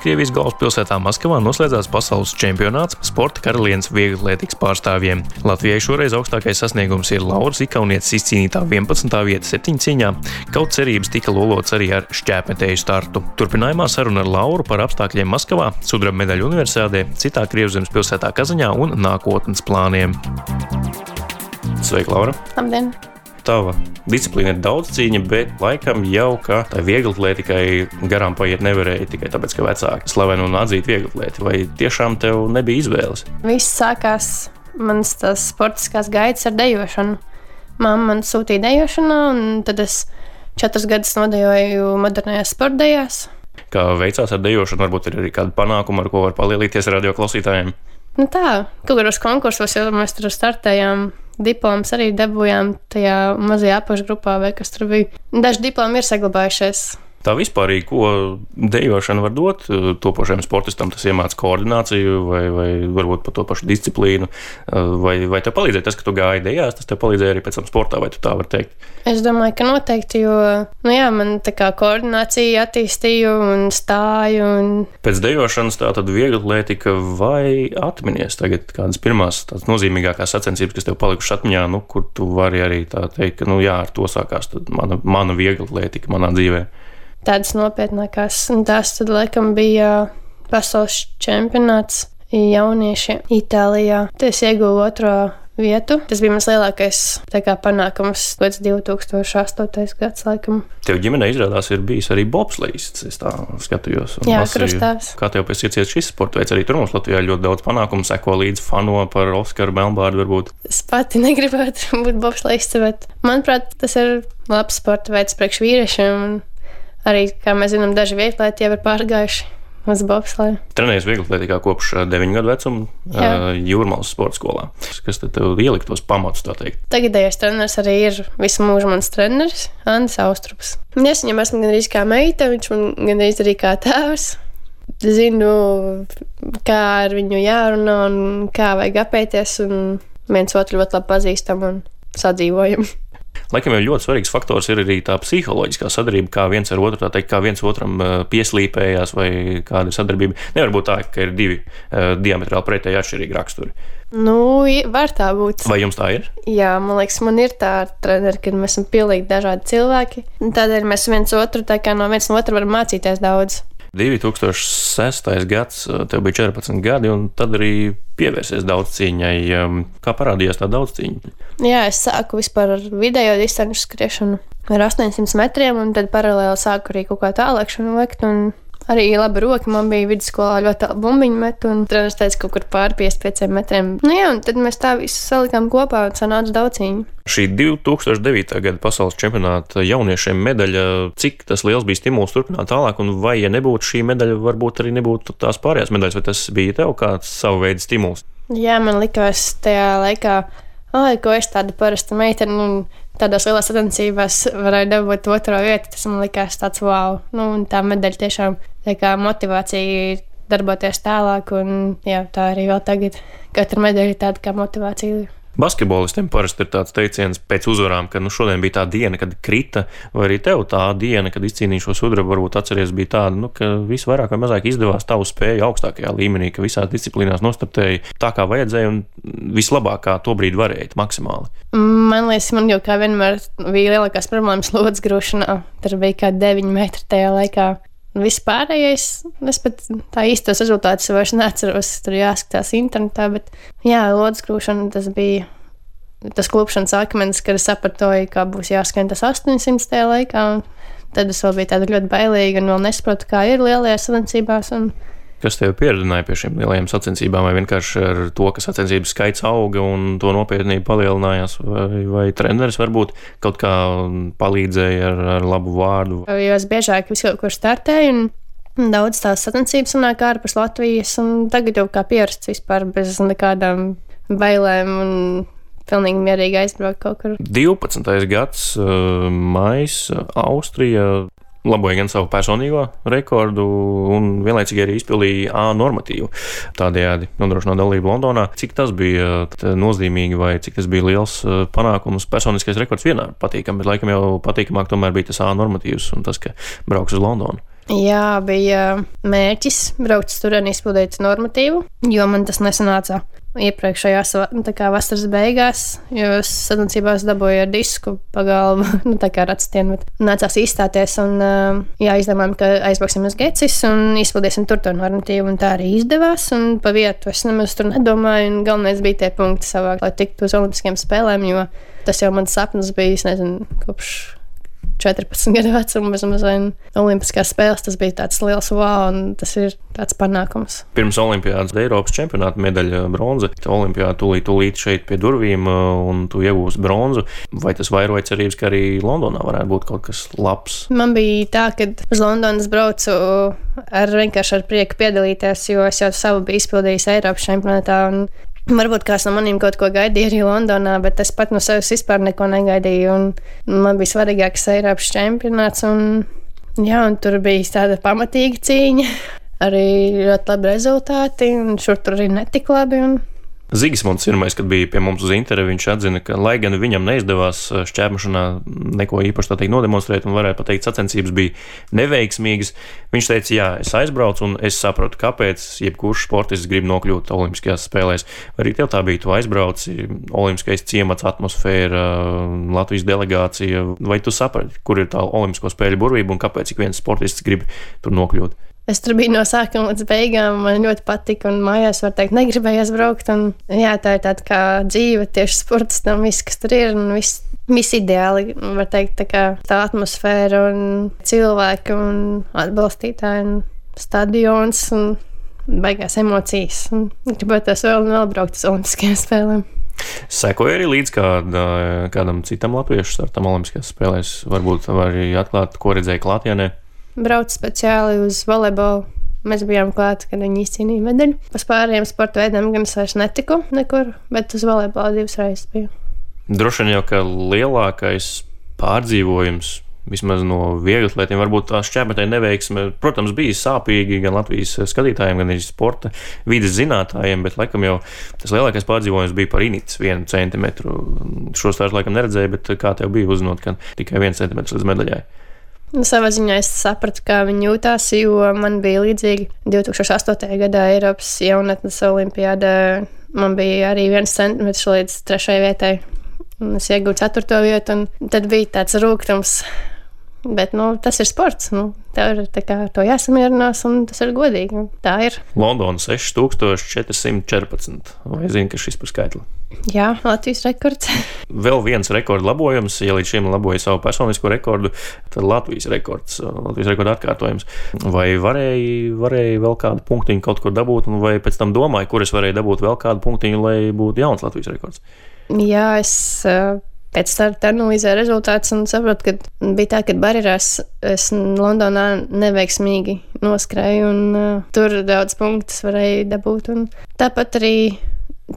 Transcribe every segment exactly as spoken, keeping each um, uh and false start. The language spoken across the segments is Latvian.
Krievijas galvaspilsētā Maskavā noslēdzās pasaules čempionāts sporta karalienes vieglatlētikas pārstāvjiem. Latvijai šoreiz augstākais sasniegums ir Lauras Ikaunietes izcīnītā vienpadsmitā vieta septiņcīņā, kaut cerības tika lolots arī ar šķēpmetēju startu. Turpinājumā saruna ar Lauru par apstākļiem Maskavā, sudraba medaļu universiādē, citā Krievzemes pilsētā Kazaņā un nākotnes plāniem. Sveika, Laura! Labdien! Tava disciplīna ir daudzcīņa, bet laikam jau, ka tai vieglatlētikai garām paiet nevarēja tikai tāpēc, ka vecāki slaveni un atzīt vieglatlēti. Vai tiešām tev nebija izvēles? Viss sākās manas tās sportiskās gaitas ar dejošanu. Mamma man sūtīja dejošanā, un tad es četrus gadus nodejoju modernajās sportdejās. Kā veicās ar dejošanu, varbūt ir arī kāda panākuma, ar ko var palielīties radioklausītājiem? Nu tā, kaut kādos konkursos jau mēs tur startējām. Diplomas arī dabūjām tajā mazajā apakšgrupā, vai kas tur bija. Daži diplomi ir saglabājušies. Tā vispārīgi, ko dejošana var dot topošajam sportistam, tas iemāca koordināciju vai, vai varbūt par to pašu disciplīnu, vai, vai tev palīdzēja tas, ka tu gāji dejās, tas tev palīdzēja arī pēc tam sportā, vai tu tā vari teikt? Es domāju, ka noteikti, jo, nu jā, man tā kā koordinācija attīstīju un stāju. Un... Pēc dejošanas tā tad vieglatlētika vai atminies tagad kādas pirmās tādas nozīmīgākās sacensības, kas tev palikušas atmiņā, nu, kur tu vari arī tā teikt, ka, nu jā, ar to sākās tad mana, mana vieglatlētika manā dzīvē. Tādas nopietnākās, un tās tad laikam bija pasaules čempionāts jaunieši Itālijā. Tas ieguva otro vietu. Tas bija mans lielākais tā kā panākums pēc divi tūkstoši astotais gads laikam. Tev ģimenē izrādās ir bijis arī bobslejs, es tā skatījos. Jā, krustāvs. Kā tev pēc ieciets šis sporta veids? Arī tur mums Latvijā ļoti daudz panākumu, seko līdz fano par Oskaru Melnbārdu varbūt. Es pati negribētu būt bobslejs, bet manuprāt, tas ir labs sporta veids priekš vīriešiem. Un arī, kā mēs zinām, daži vieglatlēti jau ir pārgājuši uz bobsleju. Trenējies vieglatlētikā kopš deviņu gadu vecuma Jūrmalas sporta skolā. Kas tad tev ielika tos pamatus, tā teikt? Tagadējais treneris arī ir visu mūžu mans treneris, Andis Austrups. Es viņam esmu gandrīz kā meita, viņš man gandrīz arī kā tēvs. Zinu, kā ar viņu jārunā un kā vajag apēties, un viens otru ļoti labi pazīstam un sadzīvojam. Laikam jau ļoti svarīgs faktors ir arī tā psiholoģiskā sadarbība, kā viens ar otru, tā teikt, kā viens otram pieslīpējās vai kāda ir sadarbība. Nevar būt tā, ka ir divi uh, diametrāli pretēji atšķirīgi raksturi. Nu, var tā būt. Vai jums tā ir? Jā, man liekas, man ir tā ar treneri, kad mēs esam pilnīgi dažādi cilvēki. Tādēļ mēs viens otru, tā kā no viens no otra varam mācīties daudz. divi tūkstoši sestais gads, tev bija četrpadsmit gadi, un tad arī pievērsies daudzcīņai. Kā parādījās tā daudzcīņa? Jā, es sāku vispār ar vidējo distanču skriešanu ar astoņsimt metriem, un tad paralēli sāku arī kaut kā tālākšanu veikt, un arī laba roka man bija vidusskolā ļoti bumbiņu met, un treneris teica kaut kur pār piecdesmit pieciem metriem. Nu jā, un tad mēs tā visu salikām kopā un sanāca daudzcīņa. Šī divi tūkstoši devītā gada pasaules čempionāta jauniešiem medaļa, cik tas liels bija stimuls turpināt tālāk, un vai, ja nebūtu šī medaļa, varbūt arī nebūtu tās pārējās medaļas, vai tas bija tev kāds savu veidu stimuls? Jā, man likās tajā laikā, ai, ko es tāda parasta meitene, un tādās lielās sacensībās varēja dabūt otro vietu, tas man likās tāds wow. Nu, un tā medaļa tiešām tā kā motivācija darboties tālāk, un jā, tā arī vēl tagad. Katra medaļa ir tāda kā motivācija. Basketbolistiem parasti ir tāds teiciens pēc uzvarām, ka nu, šodien bija tā diena, kad krita, vai arī tev tā diena, kad izcīnīja šo sudrabu, varbūt atceries, bija tāda, nu, ka viss vairāk vai mazāk izdevās tavu spēju augstākajā līmenī, ka visās disciplīnās nostartēji tā, kā vajadzēja, un vislabāk, kā to brīdi varēja, maksimāli. Man liekas, man jau kā vienmēr bija lielākās problēmas lodes grūšanā. Tur bija kā deviņi metri tajā laikā. Viss pārējais, es pat tā īstos rezultātus vairs neatceros, tur jāskatās internetā, bet jā, lodes grūšana, tas bija tas klupšanas akmens, kad es sapratoju, kā būs jāskrien tas astoņsimt tajā laikā, un tad es vēl biju tāda ļoti bailīga un vēl nesaprotu, kā ir lielajās sacensībās. Un... Kas tev pieredzināja pie šīm lielajām sacensībām, vai vienkārši ar to, ka sacensības skaits auga un to nopietnība palielinājās, vai, vai treneris varbūt kaut kā palīdzēja ar, ar labu vārdu? Jo es biežāk visu kaut kur startēju, un daudz tās sacensības sanāk ārpus Latvijas, un tagad jau kā pierasts vispār bez nekādām bailēm un pilnīgi mierīgi aizbraukt kaut kur. divpadsmitais gads, maijs, Austrija laboja gan savu personīgo rekordu un vienlaicīgi arī izpildīja A normatīvu. Tādējādi nodrošinot dalību Londonā. Cik tas bija nozīmīgi vai cik tas bija liels panākums? Personiskais rekords vienmēr patīkam, bet laikam jau patīkamāk tomēr bija tas A normatīvs un tas, ka brauks uz Londonu. Jā, bija mērķis braukt uz turieni, izpildīt normatīvu, jo man tas nesanāca iepriekšējās tā kā vasaras beigās, jo sacensībās dabūju ar disku pa galvu, nu tā kā ar atstienu. Nācās izstāties un jā, izdomājām, ka aizbrauksim uz Gecis un izpildīsim tur to normatīvu, un tā arī izdevās, un pa vietu es nemaz tur nedomāju, un galvenais bija tie punkti savāk, lai tiktu uz olimpiskajām spēlēm, jo tas jau mans sapnis bija, es nezinu, kopš četrpadsmit gadu vecuma, bez mazliet olimpiskās spēles, tas bija tāds liels wow, un tas ir tāds panākums. Pirms olimpiādas Eiropas čempionāta medaļa bronza, olimpiāda tūlīt, tūlīt šeit pie durvīm, un tu iegūsi bronzu. Vai tas vairoja cerības, ka arī Londonā varētu būt kaut kas labs? Man bija tā, ka uz Londonas braucu ar vienkārši ar prieku piedalīties, jo es jau savu biju izpildījis Eiropas čempionātā, un varbūt kāds no maniem kaut ko gaidīja arī Londonā, bet es pat no sevis vispār neko negaidīju. Un man bija svarīgāks Eiropas čempionāts, un, jā, un tur bija tāda pamatīga cīņa, arī ļoti labi rezultāti, un šur tur arī netik labi. Un Zigismunds pirmais, kad bija pie mums uz interviju, viņš atzina, ka, lai gan viņam neizdevās šķērmešanā neko īpaši tā teikt nodemonstrēt, un varētu pateikt, sacensības bija neveiksmīgas, viņš teica, jā, es aizbraucu un es saprotu, kāpēc jebkurš sportists grib nokļūt olimpiskajās spēlēs. Arī tev tā bija, tu aizbrauci, olimpiskais ciemats, atmosfēra, Latvijas delegācija, vai tu saprati, kur ir tā olimpisko spēļu burvība un kāpēc ik viens sportists grib tur nokļūt? Es tur biju no sākuma līdz beigām, man ļoti patika, un mājās, var teikt, negribējās braukt. Un, jā, tā ir tāda kā dzīve tieši sportistam, viss, kas tur ir, un viss, viss ideāli, var teikt, tā kā tā atmosfēra un cilvēki un atbalstītāji un stadions un baigās emocijas. Un gribētos vēl un vēl braukt uz olimpiskajām spēlēm. Sekoja arī līdz kāda, kādam citam latviešu startam olimpiskajās spēlēs, varbūt arī atklāt, ko redzēja klātienē. Braucu speciāli uz volejbolu. Mēs bijām klāti, kad viņi izcīnīja medaļu. Par pārējiem sporta veidiem gan es vairs netiku nekur, bet uz volejbolu divas reizes biju. Droši vien jau, ka lielākais pārdzīvojums, vismaz no vieglatlētiem, varbūt tā šķērmetēja neveiksme, protams, bija sāpīgi gan Latvijas skatītājiem, gan arī sporta vides zinātājiem, bet laikam jau tas lielākais pārdzīvojums bija par Initas vienu centimetru. Šo stāstu laikam neredzēju, bet kā tev bija uzzinot, ka tikai viens centimetrs līdz medaļai? Savā ziņā es sapratu, kā viņi jūtās, jo man bija līdzīgi divi tūkstoši astotajā gadā Eiropas jaunatnes olimpiādā. Man bija arī viens centimetrs līdz trešajai vietai. Es iegūtu ceturto vietu, un tad bija tāds rūgtums. Bet nu, tas ir sports. Nu, tev ir tā kā to jāsamierinās, un tas ir godīgi. Tā ir. Londona seši tūkstoši četri simti četrpadsmit. Vai zini, ka šis par skaitli? Jā, Latvijas rekords. Vēl viens rekordu labojums, ja līdz šim laboja savu personisko rekordu, tad Latvijas rekords, Latvijas rekorda atkārtojums. Vai varēja, varēja vēl kādu punktiņu kaut kur dabūt, vai pēc tam domāju, kur es varēju dabūt vēl kādu punktiņu, lai būtu jauns Latvijas rekords? Jā, es pēc starta analizēju rezultātus un saprotu, ka bija tā, ka barjerās es Londonā neveiksmīgi noskrēju, un uh, tur daudz punktus varēju dabūt. Un tāpat arī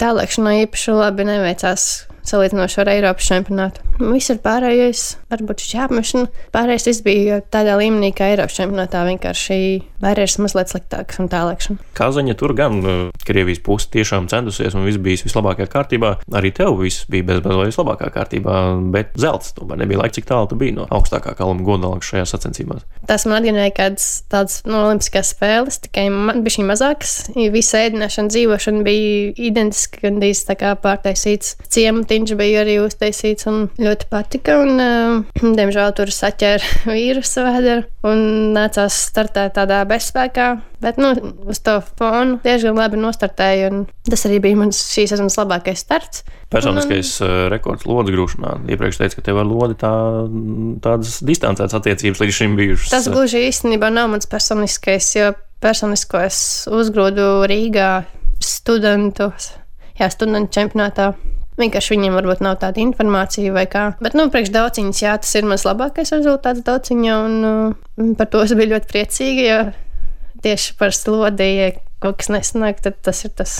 tālēkšanā īpaši labi neveicās salīdzinoši ar Eiropas čempionātu. Viss ir pārējais, varbūt šķēpmešana. Pārējais viss bija tādā līmenī, kā Eiropas čempionātā, vienkārši barjeras mazliet sliktākas un tālēkšana. Kazaņa tur gan Krievijas puse tiešām centusies un viss bija vislabākajā kārtībā. Arī tev viss bija bezbazojis vislabākajā kārtībā, bet zelts tomēr nebija laika, cik tālu tu biji no augstākā kaluma godalgas šajās sacensībās. Tas man atgādināja kādas tādas no olimpiskās spēles, tikai man bija šī mazākas. Visa ēdināšana, dzīvošana bija identiska, gandrīz tā kā pārtaisīts ciematiņš bija arī uztaisīts un ļoti patika. Un, uh, diemžēl tur saķēra vīrusu vēderu un nācās startēt tādā bezspēkā. Bet nu, uz to fonu diezgan labi nostartēju, un tas arī bija mans šīs sezonas labākais starts. Personiskais un, uh, rekords lodes grūšanā. Iepriekš teica, ka tev ar lodi tā, tādas distancētas attiecības līdz šim bijušas. Tas gluži īstenībā nav mans personiskais, jo personisko es uzgrūdu Rīgā studentos, jā, studentu čempionātā. Vienkārši viņiem varbūt nav tāda informācija vai kā. Bet, nu, priekš dauciņas, jā, tas ir mans labākais rezultāts dauciņā, un uh, par to es biju ļoti priecīga, jo tieši par slodi, ja kaut kas nesanāk, tad tas ir tas,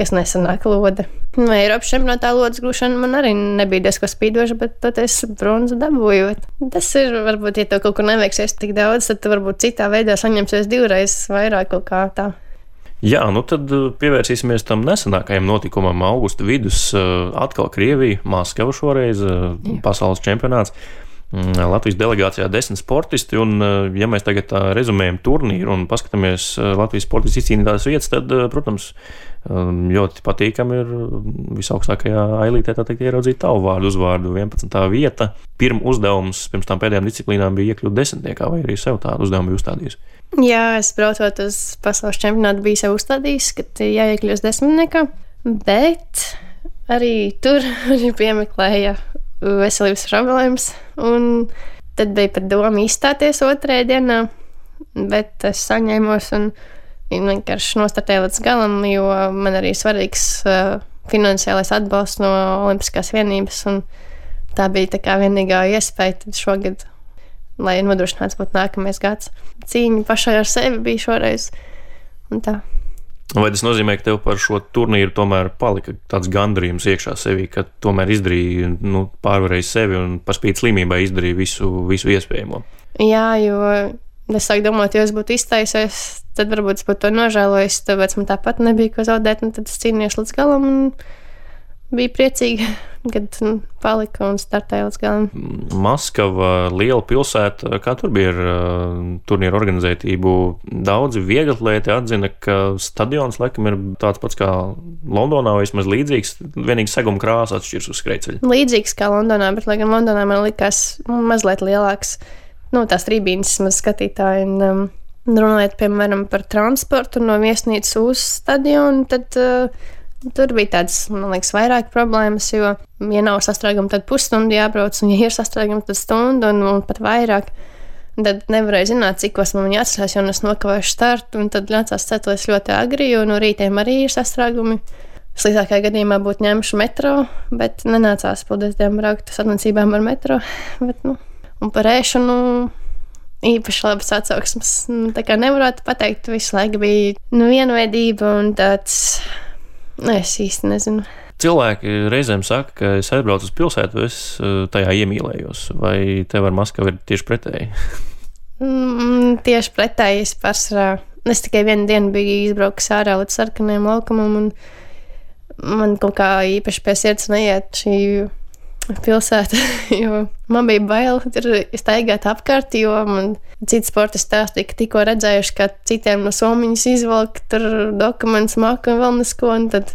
kas nesanāk lode. Nu, Eiropas čempionātā lodes grūšana man arī nebija diezko spīdoša, bet tad es bronzu dabūju. Tas ir, varbūt, ja tev kaut kur neveiksies tik daudz, tad tu varbūt citā veidā saņemsies divreiz vairāk kaut kā tā. Jā, nu tad pievērsīsimies tam nesenākajam notikumam. Augusta vidus atkal Krievija, Maskava šoreiz, pasaules čempionāts. Latvijas delegācijā desmit sportisti, un ja mēs tagad tā rezumējam turnīru un paskatāmies Latvijas sportistu izcīnītās vietas, tad, protams, ļoti patīkami ir visaugstākajā ailītē tā teikt ieraudzīt tavu vārdu uzvārdu vienpadsmitā vieta. Pirms uzdevums pirms tām pēdējām disciplīnām bija iekļūt desmitniekā, vai arī sev tādu uzdevumu bija uzstādījis? Jā, es braucot uz pasaules čempionātu biju sev uzstādījis, ka jāiekļūst desmitniekā, bet arī tur arī piemeklēja veselības problēmas, un tad bija pat doma izstāties otrajā dienā, bet es saņēmos un vienkārši nostartēju līdz galam, jo man arī svarīgs uh, finansiālais atbalsts no Olimpiskās vienības, un tā bija tā kā vienīgā iespēja tad šogad, lai nodrošināts būtu nākamais gads. Cīņa pašai ar sevi bija šoreiz, un tā. Vai tas nozīmē, ka tev par šo turnīru tomēr palika tāds gandarījums iekšā sevī, ka tomēr izdarīja, nu, pārvarēja sevi un par spīti slimībai izdarīja visu, visu iespējamo? Jā, jo es sāku domāt, ja es būtu iztaisies, tad varbūt es būtu to nožēlojis, tāpēc man tāpat nebija ko zaudēt, un tad es cīnījos līdz galam un bija priecīga, kad palika un startēja līdz galam. Maskava, liela pilsēta, kā tur bija ar uh, turnīru organizētību? Daudzi vieglatlēti atzina, ka stadions laikam ir tāds pats kā Londonā, vai vismaz līdzīgs, vienīgi seguma krāsa atšķirs uz skrejceļa. Līdzīgs kā Londonā, bet lai gan Londonā man likās mazliet lielāks, nu, tās trībīnes maz skatītāji, un um, runājot, piemēram, par transportu no viesnīcas uz stadionu, tad uh, tur bija tādas, man liekas, vairāk problēmas, jo, ja nav sastrēguma, tad pusstundu jābrauc, un ja ir sastrēguma, tad stundu un, un pat vairāk. Tad nevarēju zināt, cikos man jāatcerās, jo es nokavēšu startu, un tad nācās ceties ļoti agri, jo no rītiem arī ir sastrēgumi. Sliktākajā gadījumā būtu ņemšu metro, bet nenācās paldies Dievam braukt sacensībām ar metro. Bet, nu, un par ēšanu īpaši labas atsauksmes. Tā kā nevarētu pateikt, visu laiku bija nu, vienveidība un tāds. Es īsti nezinu. Cilvēki reizēm saka, ka es aizbraucu uz pilsētu, es tajā iemīlējos. Vai tev ar Maskavu ir tieši pretēji? Mm, tieši pretēji es pārsvarā. Es tikai vienu dienu biju izbraucis ārā līdz sarkanajam laukumam, un man kaut kā īpaši pie sirds neiet šī pilsēta, jo man bija bail tur staigāt apkārt, jo man citi sporti stāstīja, ka tikko redzējuši, ka citiem no somiņas izvelk tur dokumentus māku un vēl nesko, un tad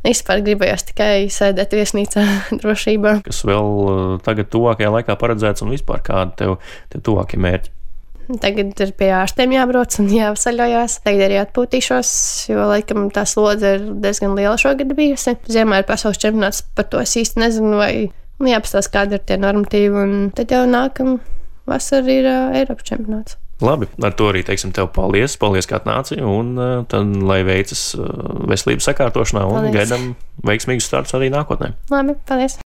vispār gribējās tikai sēdēt viesnīcā drošībā. Kas vēl tagad tuvākajā laikā paredzēts un vispār kādi tev, tev tuvākie mērķi? Tagad ir pie ārstiem jābrauc un jāsaļojās. Tagad arī atpūtīšos, jo laikam tā slodze ir diezgan liela šogad bijusi. Ziemā ir pasaules čempionāts, par to es īsti nezinu, vai nu, jāpastāst, kādi ir tie normatīvi, un tad jau nākam vasar ir uh, Eiropas čempionāts. Labi, ar to arī teiksim tev paldies, paldies, kā atnāci, un uh, tad, lai veicas uh, veselības sakārtošanā, un paldies. Gaidām veiksmīgus startus arī nākotnē. Labi, paldies!